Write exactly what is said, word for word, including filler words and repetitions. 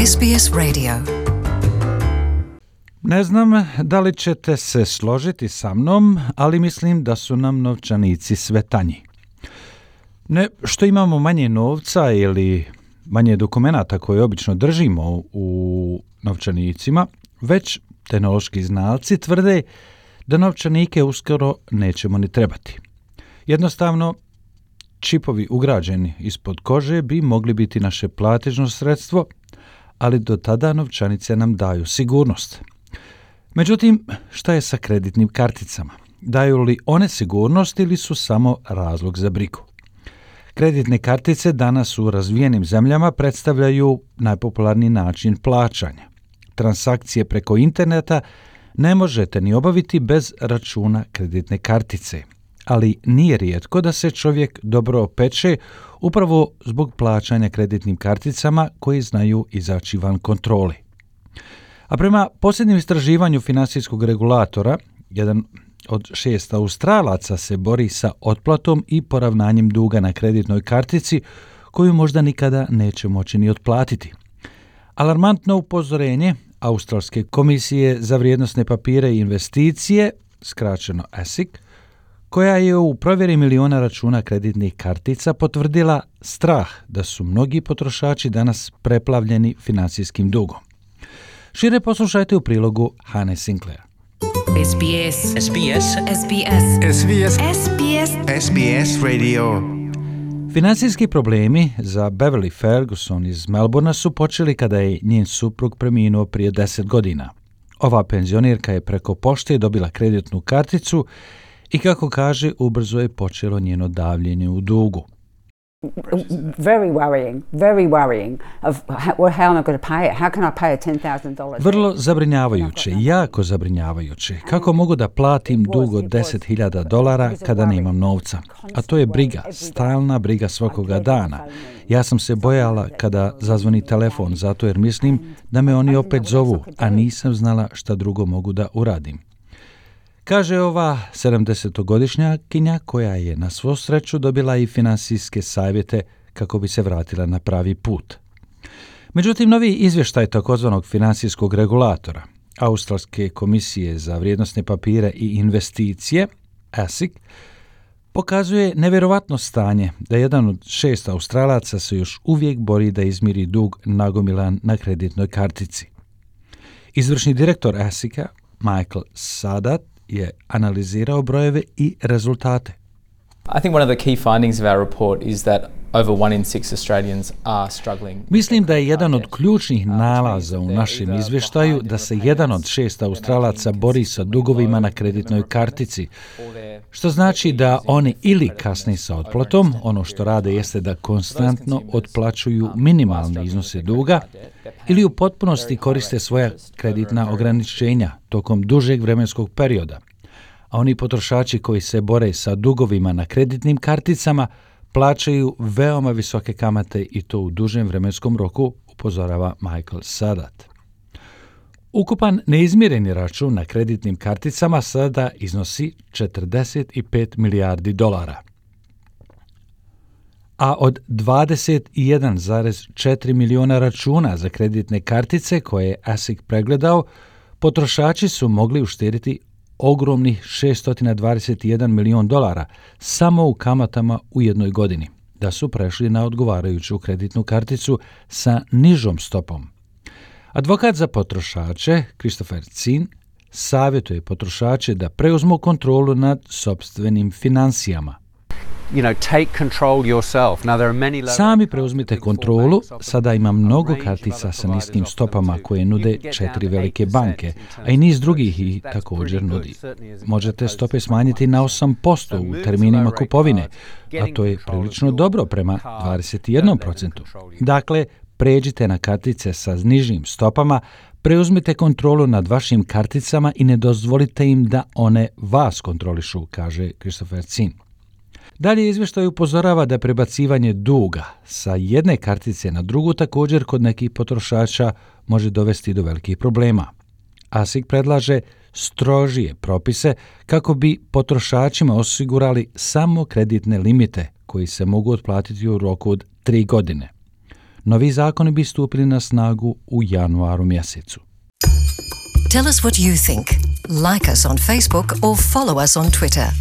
S B S Radio. Ne znam da li ćete se složiti sa mnom, ali mislim da su nam novčanici sve tanji. Ne što imamo manje novca ili manje dokumenata koje obično držimo u novčanicima, već tehnološki znalci tvrde da novčanike uskoro nećemo ni trebati. Jednostavno, čipovi ugrađeni ispod kože bi mogli biti naše platežno sredstvo, ali do tada novčanice nam daju sigurnost. Međutim, šta je sa kreditnim karticama? Daju li one sigurnost ili su samo razlog za brigu? Kreditne kartice danas u razvijenim zemljama predstavljaju najpopularniji način plaćanja. Transakcije preko interneta ne možete ni obaviti bez računa kreditne kartice, ali nije rijetko da se čovjek dobro opeče upravo zbog plaćanja kreditnim karticama koji znaju izaći van kontrole. A prema posljednjem istraživanju financijskog regulatora, jedan od šest Australaca se bori sa otplatom i poravnanjem duga na kreditnoj kartici koju možda nikada neće moći ni otplatiti. Alarmantno upozorenje Australske komisije za vrijednosne papire i investicije, skraćeno A S I C, koja je u provjeri miliona računa kreditnih kartica potvrdila strah da su mnogi potrošači danas preplavljeni financijskim dugom. Šire poslušajte u prilogu Hane Sinclair. S B S. S B S. S B S. S B S. S B S. S B S Radio. Financijski problemi za Beverly Ferguson iz Melbourna su počeli kada je njen suprug preminuo prije deset godina. Ova penzionirka je preko pošte dobila kreditnu karticu i kako kaže, ubrzo je počelo njeno davljenje u dugu. Very worrying, very worrying of how, how am I going to pay it? How can I pay a ten thousand dollars? Vrlo zabrinjavajuće, jako zabrinjavajuće. Kako mogu da platim dug od deset hiljada dolara kada nemam novca? A to je briga, stalna briga svakoga dana. Ja sam se bojala kada zazvoni telefon, zato jer mislim da me oni opet zovu, a nisam znala šta drugo mogu da uradim. Kaže ova sedamdesetogodišnjakinja koja je na svu sreću dobila i finansijske savjete kako bi se vratila na pravi put. Međutim, novi izvještaj takozvanog financijskog regulatora, Australske komisije za vrijednosne papire i investicije, A S I C, pokazuje nevjerovatno stanje da jedan od šest Australaca se još uvijek bori da izmiri dug nagomilan na kreditnoj kartici. Izvršni direktor A S I C-a, Michael Sadat, je analizirao brojeve i rezultate. I think one of the key findings of our report is that over one in six Australians are struggling. Mislim da je jedan od ključnih nalaza u našem izvještaju da se jedan od šest Australaca bori sa dugovima na kreditnoj kartici, što znači da oni ili kasne sa otplatom, ono što rade jeste da konstantno otplaćuju minimalne iznose duga, ili u potpunosti koriste svoja kreditna ograničenja tokom dužeg vremenskog perioda. A oni potrošači koji se bore sa dugovima na kreditnim karticama plaćaju veoma visoke kamate i to u dužem vremenskom roku, upozorava Michael Sadat. Ukupan neizmireni račun na kreditnim karticama sada iznosi četrdeset pet milijardi dolara. A od dvadeset jedan zarez četiri miliona računa za kreditne kartice koje je A S I C pregledao, potrošači su mogli uštediti ogromnih šesto dvadeset jedan milion dolara samo u kamatama u jednoj godini, da su prešli na odgovarajuću kreditnu karticu sa nižom stopom. Advokat za potrošače, Christopher Zinn, savjetuje potrošače da preuzmu kontrolu nad sopstvenim financijama. You know, take control yourself. Now there are many low Sami preuzmite kontrolu. Sada ima mnogo kartica sa niskim stopama koje nude četiri velike banke, a i niz drugih ih također nudi. Možete stope smanjiti na osam posto u terminima kupovine, a to je prilično dobro prema dvadeset jedan posto. Dakle, pređite na kartice sa nižim stopama, preuzmite kontrolu nad vašim karticama i ne dozvolite im da one vas kontrolišu, kaže Christopher Zinn. Dalje izvještaj upozorava da prebacivanje duga sa jedne kartice na drugu također kod nekih potrošača može dovesti do velikih problema. A S I C predlaže strožije propise kako bi potrošačima osigurali samo kreditne limite koji se mogu otplatiti u roku od tri godine. Novi zakoni bi stupili na snagu u januaru mjesecu. Tell us what you think. Like us on Facebook or follow us on Twitter.